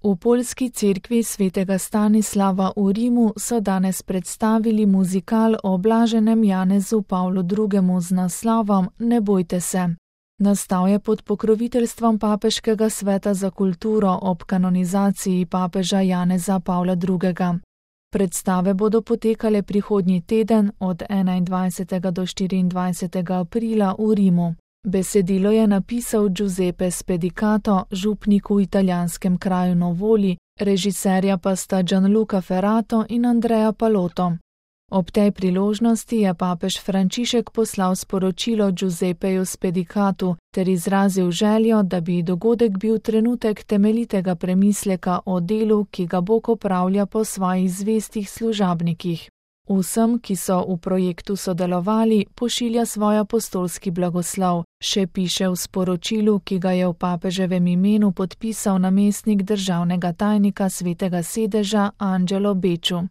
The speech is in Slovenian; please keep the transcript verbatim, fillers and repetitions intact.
V poljski cerkvi svetega Stanislava v Rimu so danes predstavili muzikal o blaženem Janezu Pavlu drugemu z naslovom Ne bojte se. Nastal je pod pokroviteljstvom Papeškega sveta za kulturo ob kanonizaciji papeža Janeza Pavla drugega. Predstave bodo potekale prihodnji teden od enaindvajsetega do štiriindvajsetega aprila v Rimu. Besedilo je napisal Giuseppe Spedicato, župnik v italijanskem kraju Novoli, režiserja pa sta Gianluca Ferrato in Andrea Palotto. Ob tej priložnosti je papež Frančišek poslal sporočilo Giuseppeju Spedicatu ter izrazil željo, da bi dogodek bil trenutek temeljitega premisleka o delu, ki ga Bog opravlja po svojih zvestih služabnikih. Vsem, ki so v projektu sodelovali, pošilja svoj apostolski blagoslov, še piše v sporočilu, ki ga je v papeževem imenu podpisal namestnik državnega tajnika Svetega sedeža Angelo Becciu.